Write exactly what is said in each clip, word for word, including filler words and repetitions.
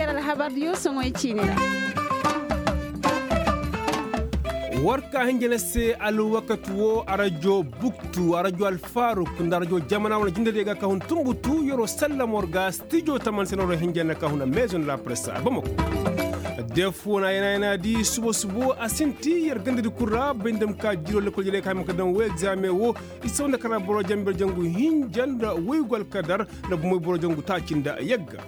Alhabar diyo soŋoy ciine ra. War ka hinja na se alwakati wo arajo buktu arajo alfaruk nda arajo jamana wane jindadiyo ga ka hun tumbutu yer'o sallama war ga stijo taman se no ro hinja na ka hun a maison de la presse a bamako. Def wane a yana yana di subo subo a sinti yer gandadi kul ra bay nda ma ka jiro lekkol jere ka hima ka daŋ wo egzame wo. I saw nda kara boro jamber jangu hinja nda woygu alkadar nda bumoy boro jangu taaci nda yagga.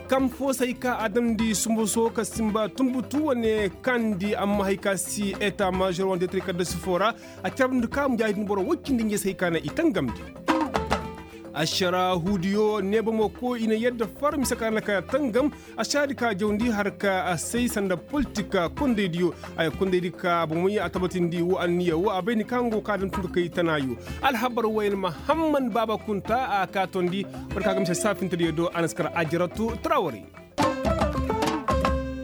Kam fo se hay ka a damndi sumbuso ka simba tumbutu wane kandi amma hay ka si eta major wane detri kadda sifo ra. A carabndi ka mujaahidin boro woy cindi nje se hay ka na i tangamndi. Ašara huudiyo neeba mo ko i na yadda far mise ka na ka tangam. Ašaradi ka jawndi har ka a say sanda politik kondaydiyo. Haya kondaydi ka bomey a tabatindi wo anniya wo a bay ni ka nga go ka daŋ tun ka kay tanaayo. Alhabar wayne mahamman baaba kunta a ka tondi. War ka ga mise saafintediyo do a na si kar ajaratu trawari.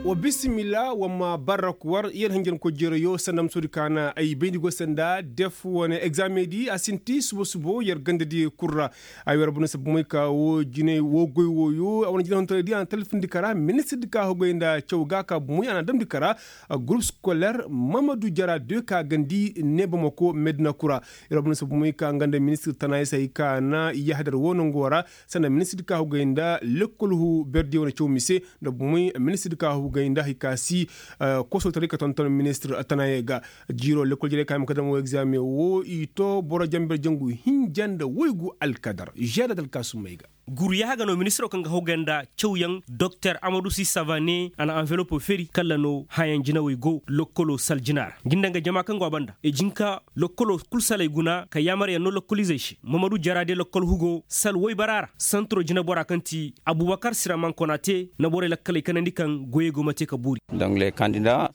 Wa bisimila wa ma barrak war yer hanjankoy jereyo sanda ma soodi ka na ay bayndi go sanda def wane egzamedi a sinti subo subo yer gandadi kul ra. Ay war bana sabumay ka wo jinay wo goy woyo a wane jinay hontoraydi a na talfindi kara ministirdi ka hogay nda caw ga ka bumay a na damndi kara. Gurup skoler mamadu jara de ka gandi ne bamako medina kura. Yer war bana sabumay ka nga nda ministir tana ya se hay ka na yahadar wo nango ra. Sanda ministir ka hogay nda lekkol hu berdiyo na caw mise nda bumay ministir ka hogay nda hay ka si kosotaray ka tonton ministir tana ya ga. Jiiro lekkol jere ka hima ka dama wo egzame wo i to boro jamber jangu hinja nda woygu alkadar žeeda dalkaasumey ga. Guru yaaha ga no ministiro kaŋ ga hogay nda cawyaŋ doktor amadu sisava ne a na anvelopo feri kala no hayaŋ jinawey go lokkolo sal jina ra. Nga nda nga jama kaŋ go a banda i jin ka lokkolo kul saley guna ka yaamaryaŋ no lokkolizey se mamadu jara de lokkol hugo sal woybara ra santiro jinabora kaŋ ti abubakar siraman konate na borey lakkaley kanandi kaŋ goyey go ma te ka boori.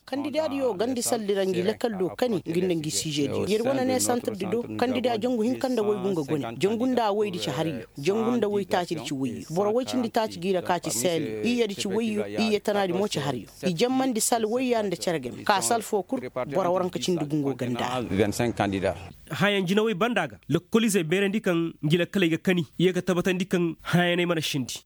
Kandida diyo gandi saldi ra ngi lakal do kani ngi nda ngi size diyo yer wane ne santir di do. Kandida jangu hinka nda woy gunga gone jangu nda woy di ci har yo. Jangu nda woy taaci di ci woy yo boro woy cindi taaci gi ra ka ci seel yo iyye di ci woy yo iyye tana di mo ci har yo. I jammandi sal woy ya nda cere game ka sal fo kul. Boro waranka cindi gungo ganda. Hayaŋ jinawey banda ga lokkolizey beerandi kaŋ ngi lakkaley ga kani i ye ga tabatandi kaŋ hayaney mana sindi.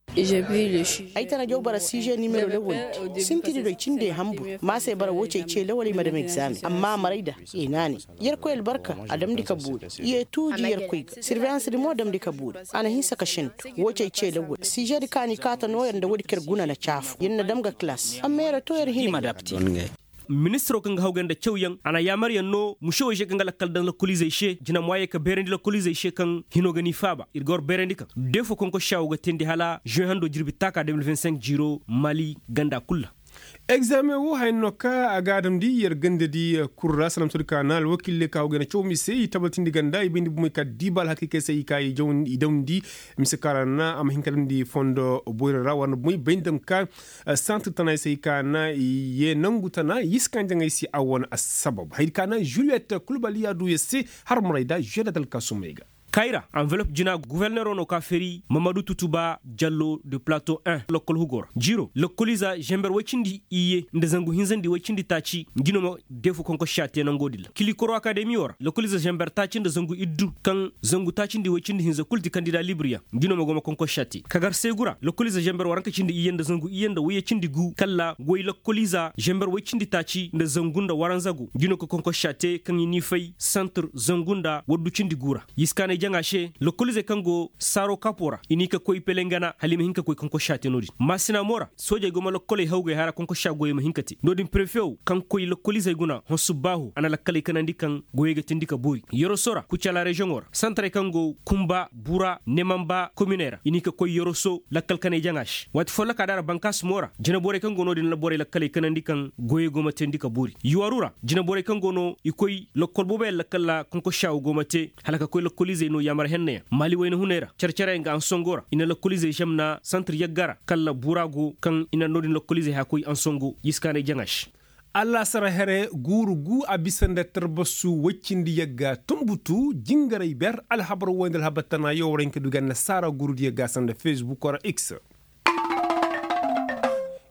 Ay tana jaw bara size nimero lawal di sintidi do ay cinde hambur ma se bara wo cey ce lawal ay ma dam egzame amma maray da. I naanay yerkoy albarka a damndi ka boori i ye tuuji yerkoy ga sirveyansdi mo damndi ka boori. A na hinsa ka sentu wo cey ce lawal size di kaani kaata nooyer nda woodi kaŋ yer guna na caafu yer na dam ga kalaas amma yer to yer hina. Ministiro kaŋ ga hawgay nda cawyaŋ a na yaamaryaŋ no musewey se kaŋ ga lakkal daŋ lokoliizey se jina mo a ye ka beerandi lokoliizey se kaŋ hino ga ni faaba ir ga war beerandi kaŋ defo konkosa wo ga teendi hala žuwe hando jirbi taaka de mil vingt-cinq jiiro mali ganda kul ra. Egzaameŋ wo haya no ka a ga a damndi yer gandadi kul ra salamsodi ka na alwakiiley ka hawgay nda caw mise i tabatindi ganda i bayndi bomey ka diiba alhakiikey se i ka i damndi mise ka ra na a ma hin ka damndi fondo boyra ra war na bomey bay nda ma ka santir tana i se i ka na i ye nangu tana i si kaŋ jaŋay se a wane assabab hayadi ka na juliyet kulbaliya du yer se har maray da žuwe da talkaasumey ga. Kayra anvelop jina guverneero no ka feri mamadu tutuba jallo de plato un lokkol hugo ra jiiro lokkoliiza žember woy cindi iyye nda zangu hinzandi woy cindi taaci ngi no ma deefu konkossa te nangoo din ra kilikoro akademiyo ra lokkoliiza žember taaci nda zangu iddu kaŋ zangu taacindi woy cindi hinza kul ti kandida libir yaŋ ngi no ma go ma konkossa te kagar seegu ra lokkoliiza žember waranka cindi iyye nda zangu iyye nda woyye cindi gu kalla woy lokkoliiza žember woy cindi taaci nda zangu nda waranza go ngi no ka konkossa te kaŋ i n'i fay santir zangu nda waddu cindi gu ra. Yiskaanay jaŋa se lokoliizey kaŋ go saaro kapo ra i n'i ka koy pelengana hala i ma hin ka koy konkossa te no-din maasina mo ra soojey go ma lokkoley hawgay hara konkossa goyey ma hin ka te no-din prefe wo kaŋ koy lokoliizey guna honsu baahu a na lakkaley kanandi kaŋ goyey ga teendi ka boori yoroso ra kucala reziyoŋo ra santarey kaŋ go kumba bura nemamba kominey ra i n'i ka koy yoroso lakkal kanay jaŋa se waati folloka da ra bankaas mo ra jinaborey kaŋ go no-din na borey lakkaley kanandi kaŋ goyey go ma teendi ka boori yuwaru ra jinaborey kaŋ go no i koy lokkol booboyaŋ lakkal ra konkossa wo go ma te hala ka koy lokkoliizey no yaamar henna yaŋ maali wayna hunay ra care care yaŋ ga ansongo ra i na lokkoliizey zamna santir yagga ra kalla bura go kaŋ i na no-din lokkoliizey haya koy ansongo yiskaanay jaŋa se. Allaasara here guuru gu a bisa nda tarbasu woy cindi yagga tunbutu jingaray ber alhabar woy nda alhabar tana yawaraŋ ka du ga annasaara guurudiyo ga sanda fesbuk ra x.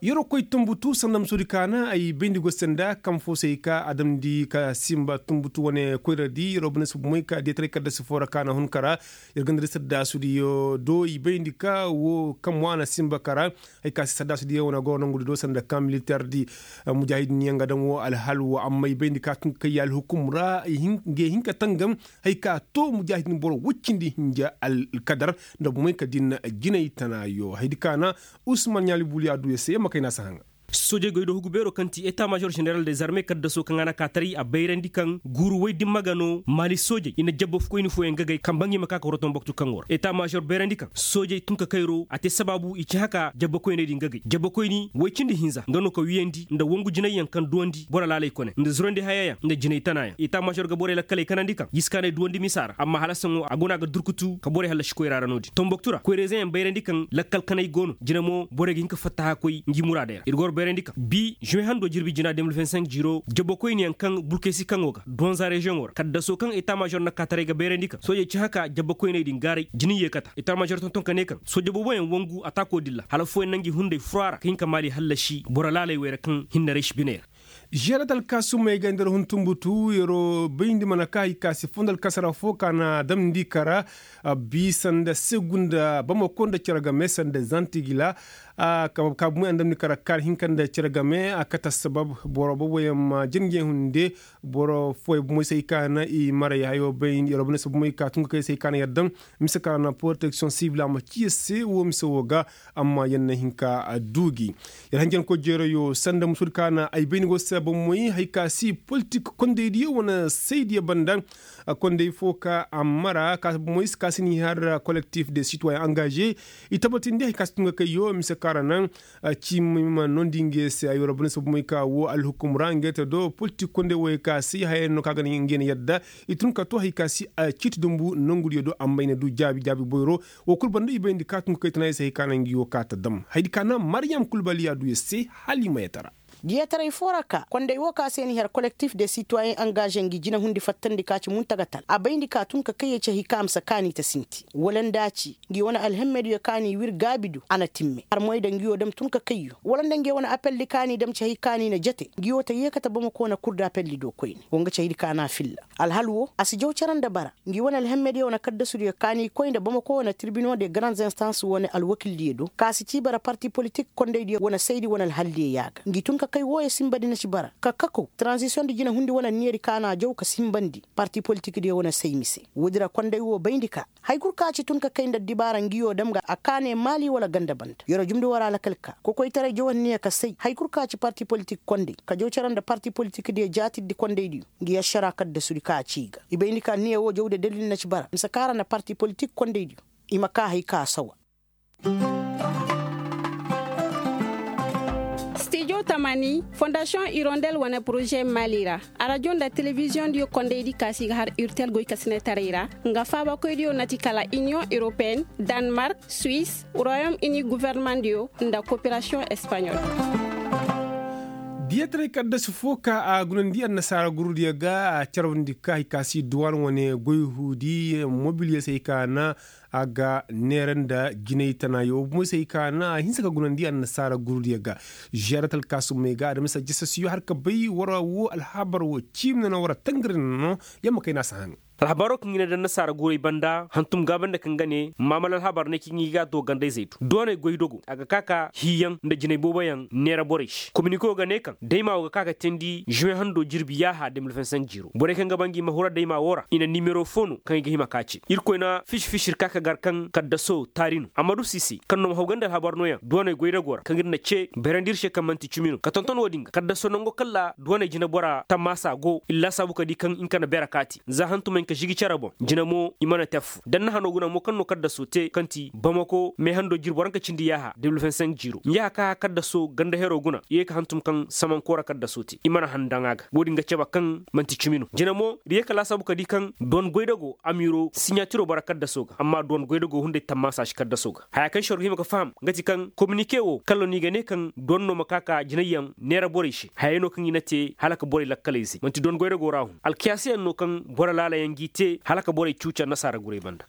Yeroo koy tunbutu sanda musoodi ka na ay bayndi goy se nda kaŋ fo se ay ka a damndi ka simba tunbutu wane koyradi yeroo bane si bumey ka diyataray kaddasi foo ra ka na hun ka ra. Yer ganda di saddaasudiyo do i bayndi ka wo kaŋ mo a na simba ka ra. Hay ka se saddaasudiyo wane goro nongudi do sanda kaŋ militerdi. Mujaahidin yaŋ ga daŋ wo alhal wo amma i bayndi ka tun ka kay alhukum ra. Ngey hin ka tangam hay ka to mujaahidin boro woy cindi hinja alkadar nda bumey ka din jinay tanayo haydi ka na. Usman ɲaali buliya du ya se yamma kay na si haŋa. Soojey goy do hugu beeroo kaŋ ti eta maazor ženeral de zarme kaddaso kaŋ a na kaataray a bayrandi kaŋ guuru woy dimma ga no maali soojey i na jabba koyni fooyaŋ gagay kaŋ ba ngi ma ka ka wara tomboktu kaŋ wara eta maazor bayrandi kaŋ soojey tun ka kayro a te sabaabu i ci haka jabba koyney din gagay jabba koyni woy cindi hinza nga no ka wiyandi nda wangu jinayyaŋ kaŋ duwandi boro laalay kone nda zurandi hayayaŋ nda jinay tanayaŋ eta maazor ga borey lakkaley kanandi kaŋ jiskaanay duwandi misa ra amma hala saŋo a go no a ga durkutu ka borey hallasi koyra ra no-din tomboktu ra koyra-izeyaŋ bayrandi kaŋ lakkal kanay go no jina mo borey ga hin ka fattaha koy ngi muraadey ra ir ga war bayrandi kaŋ bi žuwe hando jirbi jina de mil vingt cinq jiro jabbakoyniyaŋ kaŋ burkesi kaŋo ga donza reziyoŋo ra kaddaso kaŋ eta maazor na kaataray ga bayrandi kaŋ soojey ci haka jabbakoyney din gaaray jina i yeekata eta maazor tonton ka ne kaŋ sooje booboyaŋ wangu ataako dilla hala fooyaŋ na ngi hunday fura ra ka hin ka maali hallasi boro laalay wey ra kaŋ hinne raysi biney ra. Žeerat alkaasumey ga nda ra hun tunbutu yeroo bayndi mana ka hay ka si fondo alkasara fo ka na damndi kara. Bisa nda segu nda bamako nda cere game sanda zantigila. Ka bumey a na damndi kara kaari hinka nda cere game a kate assabab boro booboyaŋ ma jin nge hunde. Boro fooyaŋ bumey se hay ka na i maray hayo bayndi yeroo bane se bumey ka tun ka kay se hay ka na yadda. Mise ka na poroteksiyoŋ sibil a ma ci yer se wo mise wo ga. Amma yer na hin ka duu gi. Yer hanjankoy jeerayo sanda musoodi ka na ay bay ni go se bommoy hay ka si politik kondaydiyo wane saydiyo banda. Konday fo ka a mara ka bommoy si ka si ni har kolektif de sitoyen angaze. I tabatindi hay ka si tun ga kayyo mise ka ra naŋ. Ci ma nondi nge se ay wara bane se bommoy ka wo alhukum ra nge te do politik konday wo hay ka si haya no ka ga nge na yadda. I tun ka to hay ka si ciiti dumbu nongudiyo do amma i na du jaabi jaabi boyro. Wo kul banda i bayndi ka tun ka kay tana i se hay ka naŋ ngi wo ka ta dam haydi ka naŋ mariyam kulbali a du ya se. Hala i ma yatara. Diyataray fo ra ka konday wo ka se ni har kolektif de sitoyen angaze ngi jinahundi fattandi ka ci muntagatal a bayndi ka tun ka kay ya ci hay ka a ma si kaani ta sinti wala nda a ci ngi wane alhemmediyo ka ni wir gaabi do a na timme armoy da ngi wo dam tun ka kayyo wala nda ngi wane apeldi ka ni dam ci hay ka ni na jate ngi wo ta yeekate bamako na kur da apeldi do koyne wo nga ci haydi ka na filla. Alhal wo a si jaw cere nda bara. Ngi wane alhemmediyo wane kaddasudiyo ka ni koy nda bamako wane tirbino de garande instance wane alwakildiyo do ka si ci bara parti politik kondaydiyo wane saydi wane alhaldiyo yaaga ngi tun ka kay wooyo sinbadi na ci bara ka kakow tranzisiyoŋ nda jinahundi wane anniyadi ka na jaw ka sinbandi parti politikdiyo wane say mise. Woodi ra konday wo bayndi ka hay kul ka ci tun ka kay nda addibaara ngiyo dam ga a kaane maali wala ganda banda yoro jumndi war alakal ka kokoytaray jaw anniya ka say hay kul ka ci parti politik konday ka jaw cere nda parti politikdiyo jaatirdi kondaydiyo. Ngi ašara kaddasudi ka a ci i ga i bayndi ka anniya wo jawde dalil na ci bara mise ka ra na parti politik kondaydiyo i ma ka hay ka sawa. Stijo tamani fondasiyoŋ irondel wane poroze maali ra. Arajo nda telebiziyoŋdiyo kondaydi ka si ga har urtel goykasinetaray ra nga faabakoydiyo na ti kala iniyoŋ europeen, danmark, suwis, royom ini governemandiyo nda koperasiyoŋ espaɲol. Diyataray kaddasi fo ka a gunandi annasaara gurudiyo ga a carawndi ka hay ka si duwan wane goy huudi mobiliyo se hay ka na a ga neera nda jinay tanayo wo bumo se hay ka na a hinsa ka gunandi annasaara gurudiyo ga. Žeerat alkaasumey ga adamisa jasasiyo har ka bay wara wo alhabar wo ciimi nano wara tangari nano. Yamma kay na a si haŋ. Alhabaaroo kaŋ i na daŋ nasaara guurey banda hantum gaabandi kaŋ ga ne maamal alhabaar ne kaŋ i ga a to gandayzey do dooney goydogo a ga ka ka hiiyaŋ nda jinay booboyaŋ neera borey se kominikoo ga ne kaŋ daymaa wo ga ka ka teendi žuwe handoo jirbi yaaha de mil vingt cinq jiiroo borey kaŋ ga ba ngi ma hura daymaa woo ra i na nimero foo no kaŋ i ga hima ka a cee irkoy na fisi-fisi ir ka ka gar kaŋ kaddasoo taari no ammadu siisey kaŋ no ma haw ganda alhabaar nooyaŋ dooney goydagoo ra kaŋ ir na cee bayrandi ir se kaŋ man'ti cimi no ka tonton woo din ga kaddasoo nangoo kaŋ ra dooney jineboraa tammaasa go ir laasaabu ka di kaŋ nka na beera kaati za hantumey nka žigi cere boŋ jina mo i mana te affoo da ni na hanoo guna mo kaŋ no kaddasoo te kaŋ ti bamako meehando jirbi waranka cindi yaaha de mil vingt cinq jiiroo ngi yaa ka kaddasoo ganda heroo guna i yee ka hantum kaŋ samankoora kaddasoo te i mana han daŋ a ga woo din ga cebe kaŋ man'ti cimi no jina mo ir yee ka laasaabu ka di kaŋ duwan goydagoo amiiroo siɲaatiroo bara kaddasoo ga amma duwan goydagoo hunday tammaasa si kaddasoo ga haya kaŋ se war ga hima ga faham nga ti kaŋ kominike woo kala no i ga ne kaŋ duwan no ma ka ka jinayyaŋ neera borey se hayey no kaŋ i na te hala ka borey lakkalayzey man'ti duwan goydagoo ra hun alkiyaasayaŋ no kaŋ boro laalayaŋ g'i te hala ka borey cuuca nasaara gurey banda.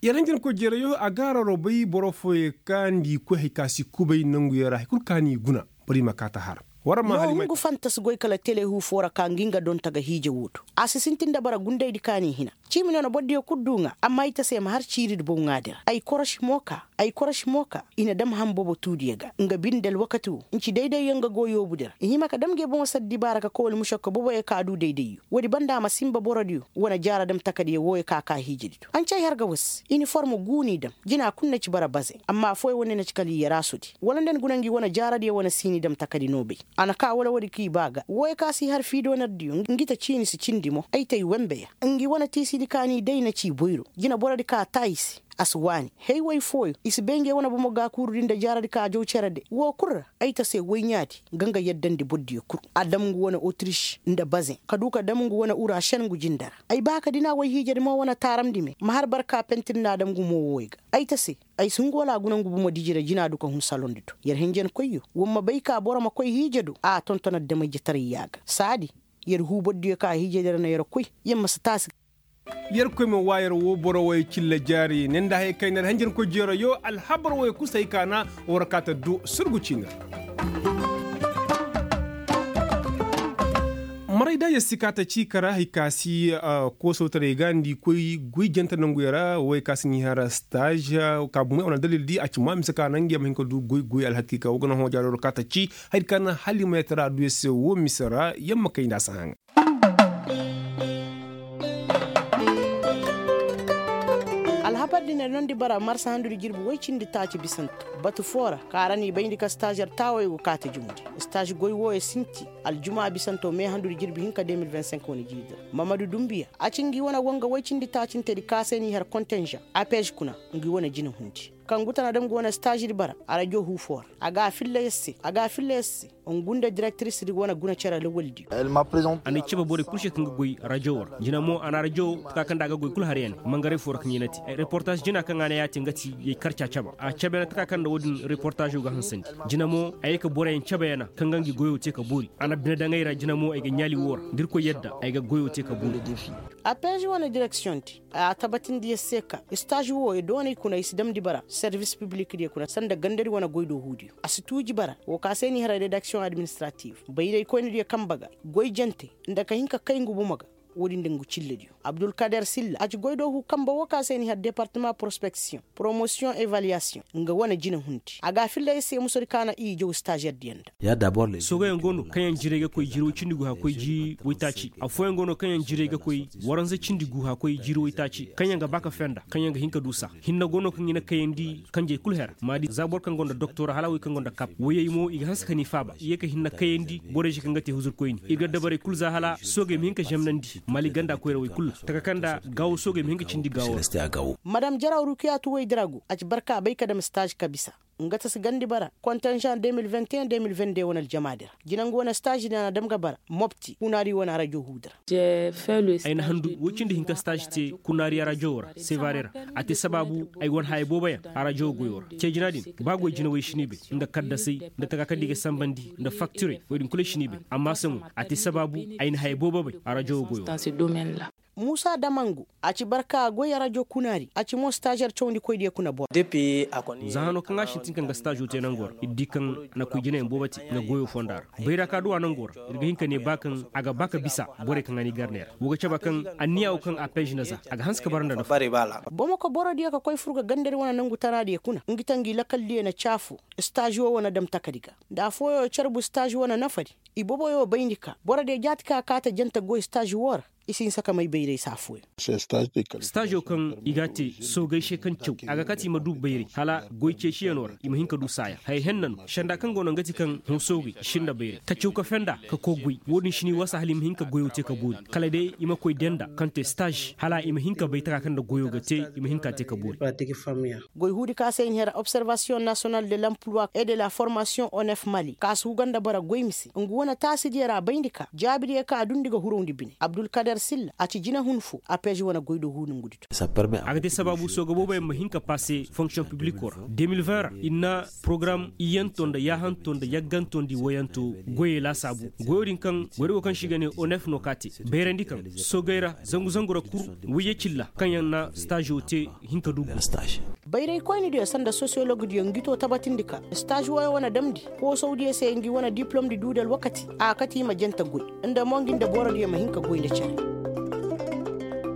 Yaranjin koy jeerayo a ga a raroo bay boro fooyey ka n'i koy hari ka si kubay nanguyaŋ ra hari kul ka n'i guna. War i ma kaata har war ma hari ma. Hungu fantas goy kala tele huu foo ra ka ngi nga donta ga hiije woo do. A si sintin nda bara gundaydi ka n'i hina. Ciimi no na bordiyo kul duu ŋaa amma ay ta se ma har ciiridi bow ŋaadi ra ay korosi mo ka. Ay korosi mo ka i na dam ham bobo tuudiyo ga nga binde alwakati woo nci dayday yaŋ ga go yoobu di ra i hima ka dam nge boŋo sar dibaara ka koy wala mušakka boboyo ka duu daydayyo. Woodi banda a ma sinba borodiyo wane jaara dam takadiyo wooyo ka ka hiijedi do a na ci ay har ga was iniform guu n'i dam. Jina kul na ci bara baze amma affooyo wane na ci kala i yaraasudi wala nda ni guna ngi wane jaaradiyo wane siini dam takadi noo bay. A na ka wala woodi k'i baa ga wooyo ka si har fiidoonardiyo ngi ta ciini si cindi mo ay ta i wembeya. Ngi wane tiisidi ka n'i day na ci boyro jina borodi ka taa i se. A si waani hay woy fooyo i si bay nge wane bomo gaakuurudi nda jaaradi ka jaw cere de woo kul ra. Ay ta se woy ɲaadi ga nga yaddandi bordiyo kul. A dam ngu wane otriš nda bazeŋ ka duu ka dam ngu wane urašen ngu jinde ra. Ay baa ka dina woy hiijadi mo wane taaramndi me ma har barka pentir nda a dam ngu mo wooyo ga. Ay ta se ay si hungu wala a guna ngu bomo diji ra jina du ka hun salondi do yer hinjankoyyo woo ma bay ka boro ma koy hiije do a tonton adama-ijetaray yaaga saadi. Yer huu bordiyo ka hiijadi ra na yer koy yer ma si taasi. Yerkoy ma waa yer woo boro woy cilla jaari ne nda haya kay na da hinjankoy jeero yoo alhabar woy kul se hay ka na war kaata du surgu ciini ra. Maray da yer si kaata ci kara hay ka si koosawtaray ga nda i koy goy jante nanguyo ra woy ka si n'i har staaz. Ka bumey wane dalil di a ci ma mise ka na ngey ma hin ka du goy goy alhakiika woo ga na hõ jaari war kaata ci. Hay di ka na hala i ma yer tara du yer se woo mise ra yer ma kay nda a si haŋa. Alhabar din nondi bara marsa handudi jirbi woy cindi taaci bisanto batu foo ra ka ra n'i bayndi ka staazer taawey go kaati jumudi. Staaz goy wooyo sinti aljuma bisanto me handudi jirbi hinka de mil vingt cinq wane jiidi ra. Mamadu dumbiya a ci ngi wane wanga woy cindi taacintedi ka se n'i har kontenžan apez kuna. Ngi wane jina hundi kaŋ guta na dam ngi wane staazidi bara arajo huu foo ra. A ga a filla yer se a ga a filla yer se. Ngu nda direktirisdi wane guna cere lawaldiyo. A n'ay cebe borey kul se kaŋ ga goy rajo wo ra jina mo a na rajo taka kaŋ nda a ga goy kul har ya ne mangaray foo ra kaŋ ya na te reportaaz jina kaŋ a na ya te nga ti yay karca caba a cebe na taka kaŋ nda wo-din reportaazo ga hansandi. Jina mo a ye ka boroyaŋ cebe ya na kaŋ ga ngi goyo te ka boori a na bine daŋay ra jina mo ay ga ɲaali wo ra da irkoy yadda ay ga goyo te ka boori. Apeez wane direksiyoŋ di a tabatindi yer se ka staaz wo i doonay kuna i si damndi bara servis piblikdiyo kuna sanda gandadi wane goydoohuudiyo a si tuuji bara woo ka se n'i har redaksiyoŋ administratif bayraykoynadiyo kambe ga goy jante nda ka hin ka kay ngu bomo ga. Woodin nda ngu cillediyo abdulkader silla a ci goydoohuu kambe woo ka se n'i har departama porospeksiyoŋ poromosiyoŋ evaliyasiyoŋ nga wane jina hundi a ga a filla yer se musadi ka na i jaw staazerdiyo nda. Soogayaŋ go no kaŋ yaŋ jiray ga koy jiri woy cindi gu hã koy jiri woytaaci affooyaŋ go no kaŋ yaŋ jiray ga koy waranza cindi gu hã koy jiri woytaaci kaŋ yaŋ ga ba ka fenda kaŋ yaŋ ga hin ka duusa. Hinne go no kaŋ i na kayandi kanjey kul hera maadi za boro kaŋ gonda doktora hala wey kaŋ gonda kap woyey mo i ga hanse ka ni faaba i ye ka hinne kayandi borey se kaŋ ga te huzurkoyni ir ga dabarey kul za hala soogey ma hin ka zemnandi mali ganda koyra wey kul ra taka kaŋ nda gaawo soogey ma hin ka cindi gaawo ra. Madam jaraw rukiyatu wey diragu a ci barka bay ka dam staaz ka bisa nga ta si gandi bara kontenžan de mil vingt et un de mil vingt deux wane aljamaadi ra jinangu wane staaz din a na dam ga bara mopti kunaari wane arajo huudi ra. Ay na handu woy cindi hinka staaz te kunaari arajo ra sevare ra a te sabaabu ay wane haya booboyaŋ arajo goyo ra cee jina din ba goy jinawey si ni bay nga kaddasey nda taka kaŋ nda i ga sanbandi nda faktirey woy din kul ay si ni bay amma saŋo a te sabaabu ay na haya boobo bay arajo goyo ra. Muusa damangu a ci barka goy arajo kunaari a ci mo staazer cawndikoydiyo kuna boro. Za hano kaŋ a sintin kaŋ ga staazo te nango ra ir di kaŋ a na koy jinayaŋ boobo te nga goyo fonda ra bayra ka duwa nango ra ir ga hin ka ne ba kaŋ a ga ba ka bisa borey kaŋ a n'i gar neera woo ga caba kaŋ anniya woo kaŋ a pez na za a ga hanse ka bara nda nafa. Bomo ka borodiyo ka koy fur ga gandadi wane nangu tanaadiyo kuna ngi ta ngi lakaldiyo na caafu staazo wane dam takadi ga nda affooyo carbu staazo wane nafadi. Iboboyo bayndi ka borodiyo jaati ka kaate jante goy staazo woo ra. I si hinsa ka may bayray se affooyaŋ. Staazo kaŋ i g'a te soogey se kaŋ caw a ga kate i ma du bayray hala goy ceeciyanoo ra i ma hin ka du saaya haya henna no senda kaŋ go no nga ti kaŋ hõ soogey i sinda bayray ka caw ka fenda ka koy goy woo din si ni wasa hala i ma hin ka goyoo te ka boori kala day i ma koy denda kaŋ te staaz hala i ma hin ka bay taka kaŋ nda goyoo ga te i ma hin ka te ka boori. Goy huudi ka se i na hera observasiyoŋ nasiyonal de lampluwa e de la formasiyoŋ onef mali ka si huga nda bara goy mise ngu wane taasidiyo ra bayndi ka jaabidiyo ka a dundi ga hurowndi bine abdulkader silla a ci jinahun foo a peezi wane goydoo huudi ngudi to. A ga te sabaabu sooga booboyaŋ ma hin ka paase fonksiyoŋ piblikoo ra de mil vingt ra ir na porogaram iyyanto nda yaahanto nda yagganto nda iwoyanto goyey laasaabu goyoo din kaŋ goyda go kaŋ se i ga ne onef no ka te bayrandi kaŋ soogey ra zangu zangu ra kul wayye cilla kaŋ yaŋ na staazo te hin ka du go. Bayraykoynidiyo sanda sosiyologdiyo ngi to tabatindi ka staž woyo wane damndi koosawdiyo se ngi wane diplomdi duu nda alwakati a kati i ma jante goy nda mo ngi nda borodiyo ma hin ka goy nda cere.